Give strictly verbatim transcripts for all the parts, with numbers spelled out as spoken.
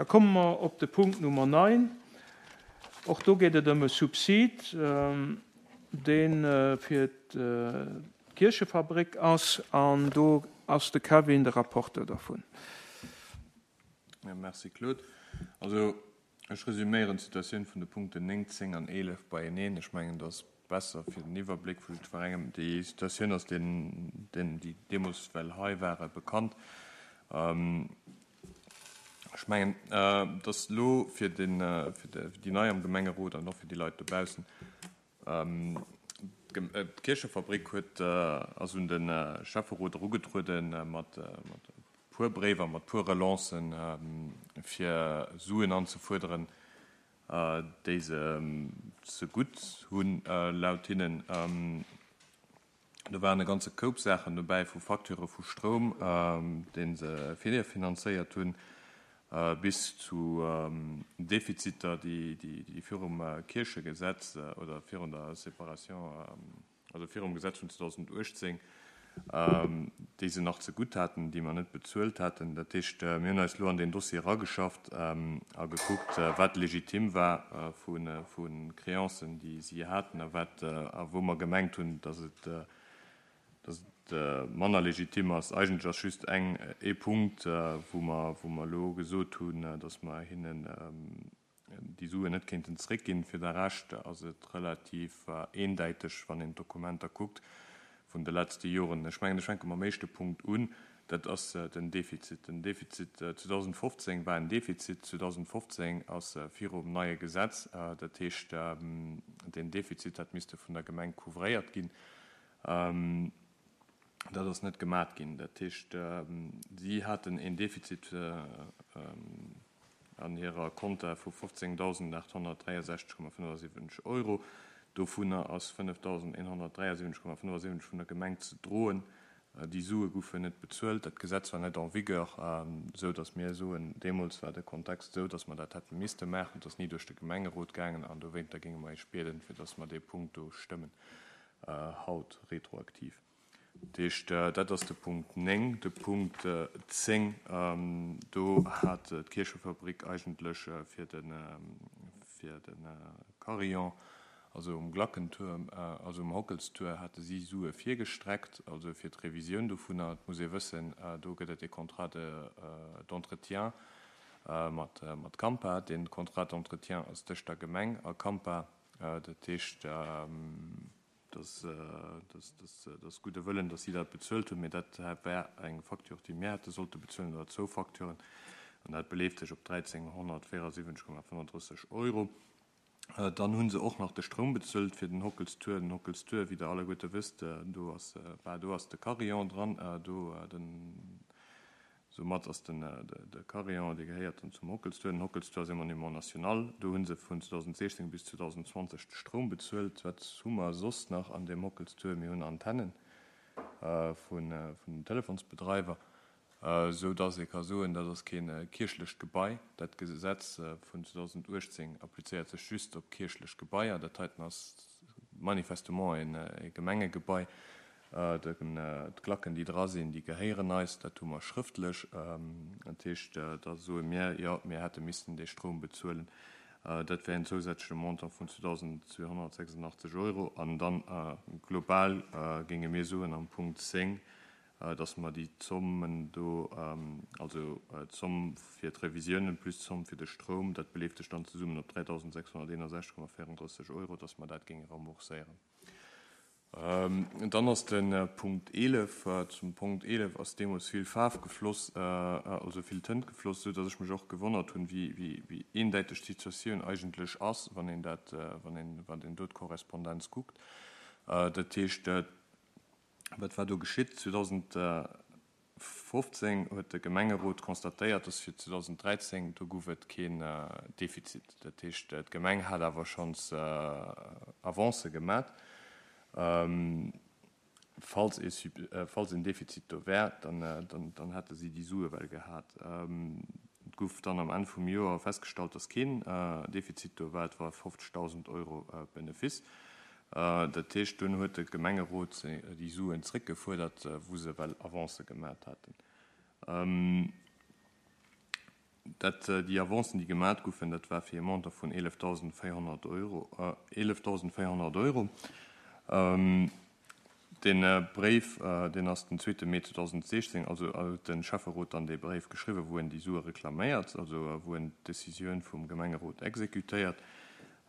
Da komme mer op de Punkt Nummer neun. Och do geet et ëm e Subsid, dee fir d'Kierchefabrik ass, an do ass de Kevin de Rapporteur dervun. Jo, merci Claude. Also ech resüméieren d'Situatioun vun de Punkten néng, zéng an eelef beieneen. Ech mengen, dat ass besser fir den Iwwerbléck vu jiddwerengem. Déi Situatioun ass deenen, déi deemools well hei waren, bekannt. Ech mengen, dass elo fir déi Nei am Gemengerot an och fir déi Leit dobaussen, d'Kierchefabrik huet, ass un de Schäfferot erugetruede mat e puer Bréiwer, mat puer Relancen, fir Suen anzefuerderen, déi se zegutt hunn, laut hinnen. Do waren e ganze Koup Saachen dobäi, vu Facturë vu Stroum, dee se virfinanzéiert hunn, bis zu Defiziter, déi virum Kierchegesetz oder virun der Séparation, also virum Gesetz vun zweedausenduechtzéng, déi se nach zegutt haten, déi mer net bezuelt haten. Dat heescht, mir hunn eis elo an deen Dossier erageschafft a gekuckt, wat legitim war vu Créancen, déi si haten, a wat a wou mer gemengt hunn, dass et dass et manner legitim ass. Eigentlech ass just eng, ee Punkt, wou mer, wou mer elo gesot hunn, dass mer hinnen déi Suen net kéinten zréckginn. Fir de Rescht ass et relativ eendäiteg, wann een d'Dokumenter kuckt vun de letzte Joren. Ech mengen, ech fänke mam éischte Punkt un, dat ass den Defizit. Den Defizit zweedausendfofzéng war en Defizit. zweedausendfofzéng ass virum neie Gesetz. Dat heescht, deen Defizit hätt misste vun der Gemeng couvréiert ginn. Dat ass net gemat ginn. Dat heescht, si haten een Defizit an hirer Konta vu fofzéngdausendachthonnertdräiesechzeg Komma fënnefasiwwenzeg Euro. Dovunner ass fënnefdausendeenhonnertdräiasiwwenzeg Komma fënnefasiwwenzeg vun der Gemeng ze droen. Déi Sue goufen net bezuelt. Dat Gesetz war net en vigueur, esou datt mir soen, deemools war de Kontext esou, datt mer dat hätte misste maachen. Et ass ni duerch de Gemengerot gaangen an dowéinter géinge mer Iech bieden, fir datt mer dee Punkt do stëmmen haut retroaktiv. Dat heescht, dat ass de Punkt néng. De Punkt zéng, do hat d'Kierchefabrik eigentlech fir de fir de Carillon, also um Glackentuerm, also um Hockelstuer, hate si Sue virgestreckt, also fir d'Revisioun dovunner. Et muss ee wëssen, do gëtt et e Contrat d'entretien mat mat Campa. Dee Contrat d'entretien ass tëscht der Gemeng a Campa. Dat heescht, dass dass gudde Wëllen, dass si dat bezuelt hunn, mee dat war eng Facture, déi mir hätte sollte bezuelen, oder zwou Facturen, an dat beleeft sech op dräizénghonnertvéierasiwwenzeg Komma fënnenddrësseg Euro. Dann hu se och nach de Stroum bezuelt fir den Hockelstuer. Den Hockelstuer, wéi Der alleguerte wësst, do ass, bah, do ass de Carillon dran, do den, Soumat ass den de Carillon, dee gehéiert dann zum Hockelstuer. Den Hockelstuer ass e Monument national. Do hu se vun zweedausendsechzéng bis zweedausendzwanzeg de Stroum bezuelt. Wat hu mer soss nach an deem Hockelstuer? Mir hunn Antennen vun den Telefonsbedreiwer, esou dass ee ka soen, dat ass kee kierchlecht Gebai. Dat Gesetz vun zweedausenduechtzéng applizéiert sech just op kierchlech Gebaier. Dat heiten ass manifestement e Gemengegebai. D'Klacken, déi dra sinn, déi gehéieren eis, dat hu mer schrëftlech. Dat heescht, da soe mir, jo, mir hätte missten dee Stroum bezuelen. Dat wär en zousätzleche Montant vun zweetausendzweehonnertsechsundachtzeg Euro. An dann global géinge mir soen am Punkt zéng, dass mer déi Zommen do, also d'Zomm fir d'Revisiounen plus d'Zomm fir de Stroum, dat beleeft sech dann zesummen op dräitausendsechshonnerteenundsechzeg Komma véierunddrësseg Euro, dass mer dat géinge rembourséieren. Dann ass de Punkt eelef. Zum Punkt eelef ass deemools vill Faarf gefloss, also vill Tënt gefloss, esou datt ech mech och gewonnert hunn, wéi eendäiteg d'Situatioun eigentlech ass, wann een dat, wann een, wann een do d'Korrespondenz kuckt. Dat heescht, wat war do geschitt? zweedausendfofzéng huet de Gemengerot constatéiert, dass fir zweedausenddräizéng, do gouf et keen Defizit. Dat heescht, d'Gemeng hat awer schonns Avancë gemat. Falls ee, falls een Defizit do wär, dann, dann, dann hätte si déi Sue well gehat. Et gouf dann am Enn vum Joer festgestallt, dass keen Defizit do war. Et war fofzegdausend Euro Benefice. Dat heescht, dunn huet de Gemengerot déi Suen zréckgefuerdert, wou se well Avancë gemat haten. Dat, déi Avancen, déi gemat goufen, dat war fir e Montant vun eelefdausendvéierhonnert Euro. eelefdausendvéierhonnert Euro. Dee Bréif, deen ass den zweete Mee zweedausendsechzéng, also huet de Schäfferot dann dee Bréif geschriwwen, wou en déi Sue reklaméiert, also wou en d'Decisioun vum Gemengerot exekutéiert.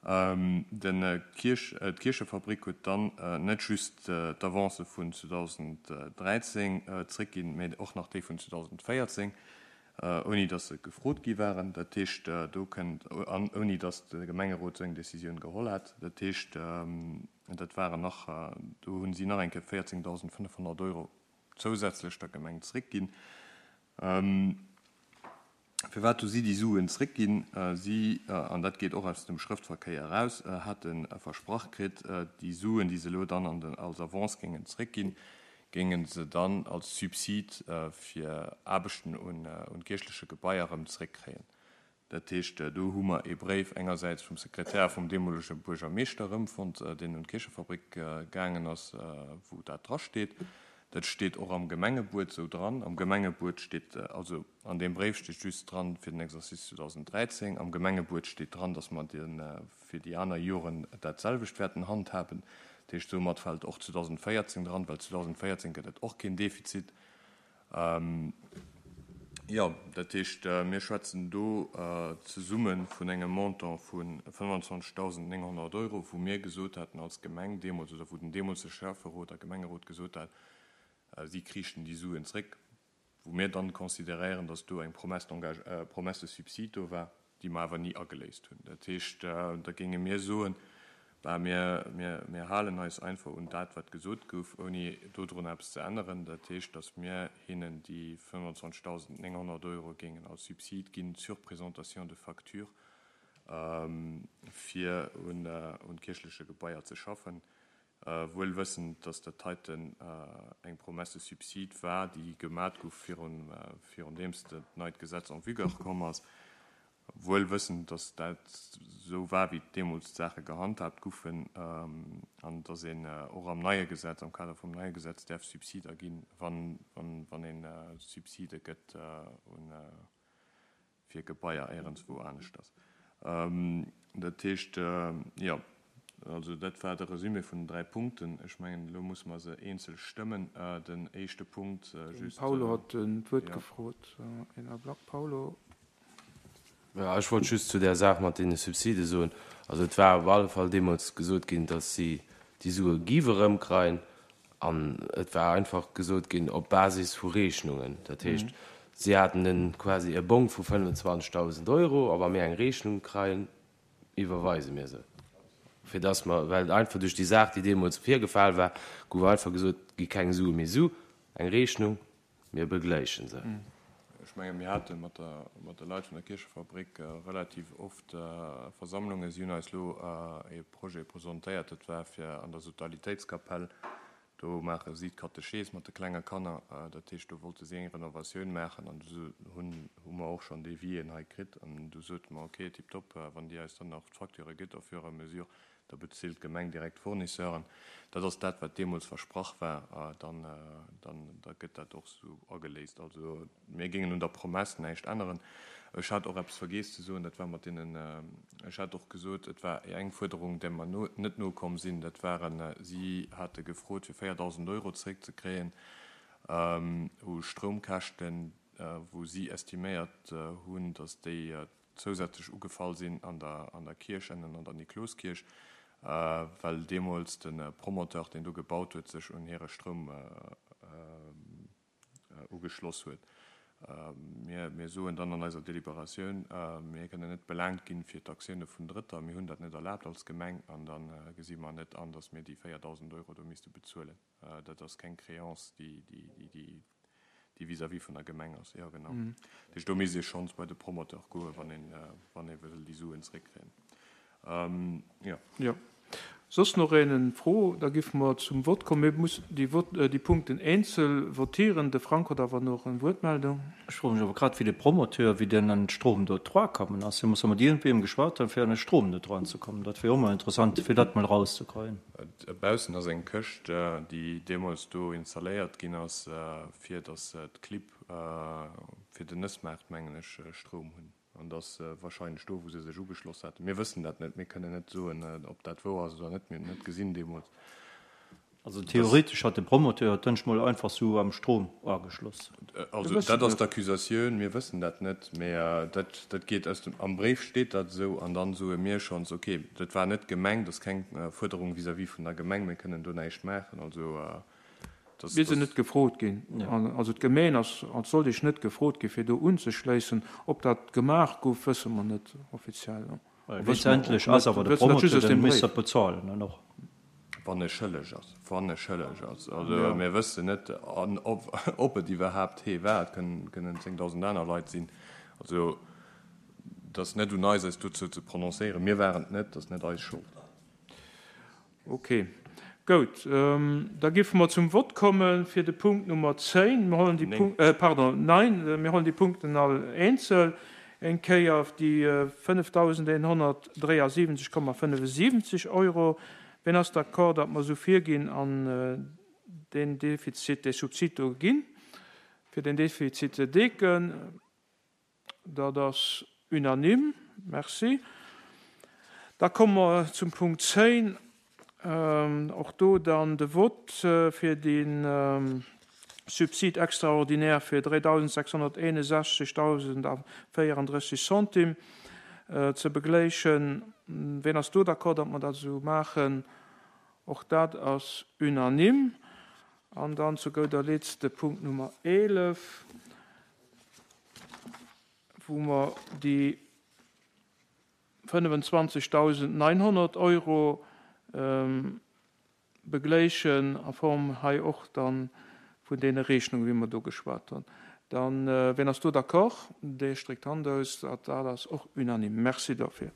Den Kierch, d'Kierchefabrik huet dann net just d'Avancë vun zweedausenddräizéng zréckginn, mä och nach déi vun zweedausenddvéierzéng, ouni datt se gefrot gi waren. Dat heescht, do kënnt, an ouni datt de Gemengerot esou eng Decisioun geholl hat. Dat heescht, dat waren nach, do hu si nach eng Kéier véierzéngdausendfënnefhonnert Euro zousätzlech der Gemeng zréckginn. Firwat hu si déi Suen zréckginn? Si, an dat geet och aus dem Schrëftverkéier eraus, hate versprach kritt, déi Suen, déi se elo dann an den, als Avance géingen zréckginn, géinge se dann als Subsid fir Aarbechten un, un kierchleche Gebaier erëm zréckkréien. Dat heescht, do hu mer ee Bréif engersäits vum Sekretär vum deemolege Buergermeeschter erëmfonnt, deen un d'Kierchefabrik gaangen ass, wou dat drasteet. Dat steet och am Gemengebuet esou dran. Am Gemengebuet steet, also an deem Bréif steet just dran fir den Exercice zweedausenddräizéng. Am Gemengebuet steet dran, datt mer de fir déi aner Joren dat selwecht wäerten handhaben. Dat heescht, soumat fält och zweedausenddvéierzéng dran, well zweedausenddvéierzéng gëtt et och keen Defizit. Jo, dat heescht, mir schwätzen do zesumme vun engem Montant vu fënnwandzwanzegdausendnénghonnert Euro, wou mir gesot haten als Gemeng deemools, oder wou den deemolsege Schäfferot a Gemengerot gesot hat, si kriichten déi Suen zréck, wou mir dann consideréieren, datt do eng Promesse d'engage, Promesse de subside do war, déi mer awer ni ageléist hunn. Dat heescht, da géinge mir soen, bah, mir, mir, mir halen eis einfach un dat, wat gesot gouf, ouni dodrun eppes ze änneren. Dat heescht, datt mir hinnen déi fënnwandzwanzegdausendnénghonnert Euro géingen als Subsid ginn sur présentation de facture, fir un, un kierchleche Gebaier ze schaffen, wuel wëssend, datt dat heiten eng Promesse de subside war, déi gemat gouf virun, virun deems dat neit Gesetz en vigueur komm ass, wuel wëssend, datt dat esou war, wéi deemools d'Saache gehandhabt goufen, an datt een och am neie Gesetz, am Kader vum neie Gesetz, däerf Subsider ginn, wann, wann, wann een Subside gëtt un, fir Gebaier éierenswou aneschters. Dat heescht, jo, also dat war de Resumé vun den dräi Punkten. Ech mengen, elo musse mer se eenzel stëmmen. Den éischte Punkt, Den just, Paulo hat d'Wuert jo. gefrot. Een Ablack, Paulo. Jo, ech wollt just zu där Saach mat deene Subside soen, also et war op alle Fall deemools gesot ginn, datt si déi Sue giff erëmkreien, an et war einfach gesot ginn op Basis vu Rechnungen. Dat heescht, si haten en quasi e Bong vu fënnwandzwanzegdausend Euro, a wa mir eng Rechnung kreien, iwwerweise mir se. Fir datt mer, well einfach duerch déi Saach, déi deemools virgefal war, gouf einfach gesot, gi keng Sue méi su, eng Rechnung, mir begläichen se. Ech mengen, mir hate mat der, mat de Leit vun der Kierchefabrik relativ oft Versammlungen. Si hunn eis elo e Projet presentéiert, dat war fir an der Sodalitéitskapell. Do maache si d'Katechees mat de klenge Kanner. Dat heescht, do wollte si eng Renovatioun maachen an du hunn, hu mer och schonn Devisien hei kritt. An du sote mer, okay, tiptop, wann Dir eis dann nach d'Facture gitt au fur et à mesure, da bezilt d'Gemeng direkt d'Fournisseuren. Dat ass dat, wat deemools versprach war. Dann, dann, da gëtt dat och esou ageléist. Also mir géingen un der Promesse näischt änneren. Ech hat och eppes vergiess ze soen, dat war mat deenen, ech hat och gesot, et war eng Fuerderung, där mer no, net nokomm sinn, dat waren, si hate gefrot, fir véierdausend Euro zréckzekréien u Stroumkäschten, wou si estiméiert hunn, datt déi zousätzlech ugefall sinn an der, an der Kierch, ennen an der Nikloskierch, well deemools de Promoteur, deen do gebaut huet, sech un hire Stroum ugeschloss huet. Mir, mir soen dann an eiser Deliberatioun, mir kënnen net belaangt ginn fir d'Aktioune vun Drëtter. Mir hunn dat net erlaabt als Gemeng an da gesi mer net an, datt mir déi véierdausend Euro do misste bezuelen. Dat ass keng Créance, déi, déi, déi, déi, déi vis-à-vis vun der Gemeng ass. Jo, genau. Dat heescht, do misst ee schonns bei de Promoteur goen, wann een, wann ee wëll déi Suen zréckkréien. Jo. Jo. Soss nach een eng Fro? Da giffe mer zum Vott kommen. Mir mussen déi Vott, déi Punkten eenzel votieren. De Frank huet awer nach eng Wuertmeldung. Ech froe mech awer grad, wéi de Promoteur, wéi deen an de Strom do dra kommen ass. Hie muss jo mat iergendweem geschwat hunn, fir an de Strom do dran ze kommen. Dat wier och mol interessant, fir dat mol erauszekréien. Baussen ass eng Këscht, déi deemools do installéiert ginn ass, fir datt d'Clibb fir den Nëssmaart, mengen ech, Stroum hunn. An dat ass wahrscheinlech do, wou se sech ugeschloss haten. Mir wëssen dat net. Mir kënnen net soen, ob dat wouer ass oder net. Mir hunn et net gesinn deemools. Also theoretesch hat de Promoteur d'Dënsch mol einfach sou am Strom ageschloss. Also dat ass d'Accusatioun. Mir wëssen dat net. Mä dat, dat geet aus dem, am Bréif steet dat esou. An dann soe mir schonns, okay, dat war net d'Gemeng, dat ass keng Fuerderung vis-à-vis vun der Gemeng. Mir kënnen do näischt maachen. Also Dass, Mir sinn net gefrot ginn. Also d'Gemeen ass als solch net gefrot ginn, fir do unzeschléissen. Ob dat gemaach gouf, wësse mer net offiziell. Letztendlech ass awer de Promoteur, dee misst dat bezuelen dann och. Wann e schëlleg ass. Wann e schëlleg ass. Also mir wëssen net, ob et iwwerhaapt hee war. Et kënnen zéngdausend aner Leit sinn. Also et ass net un eis, eis dozou ze prononcéieren. Mir waren et net. Et ass net eis Schold. Ok, goud. Da giffe mer zum Vott komme fir de Punkt Nummer zéin. Mir hollen déi Punk-, pardon, nein, mir hollen déi Punkten all eenzel eng Kéier. Déi fënnefdausendeenhonnertdräiasiwwenzeg Komma fënnefensiwwenzeg Euro. Wien ass d'accord, datt mer esou virginn an deen Defizit, dee Subsid do ginn, fir deen Defizit ze decken? Dat ass unanime. Merci. Da komme mer zum Punkt zéin. Och do dann de Vott fir de Subside extraordinaire fir dräidausendsechshonnerteenundsechzegdausendvéierandrësseg Centimes ze begléischen. Wien ass do d'accord, datt mer dat esou maachen? Och dat ass unanime. An dann zu gouder Letzt de Punkt Nummer eelef, wou mer déi fënnefenzwanzegdausendneunhonnert Euro begléischen, a Form hei och dann vun deene Rechnungen, wéi mer do geschwat hunn. Dann, wien ass do d'accord? Dee stréckt d'Hand aus. Dat ass och unanime. Merci dofir.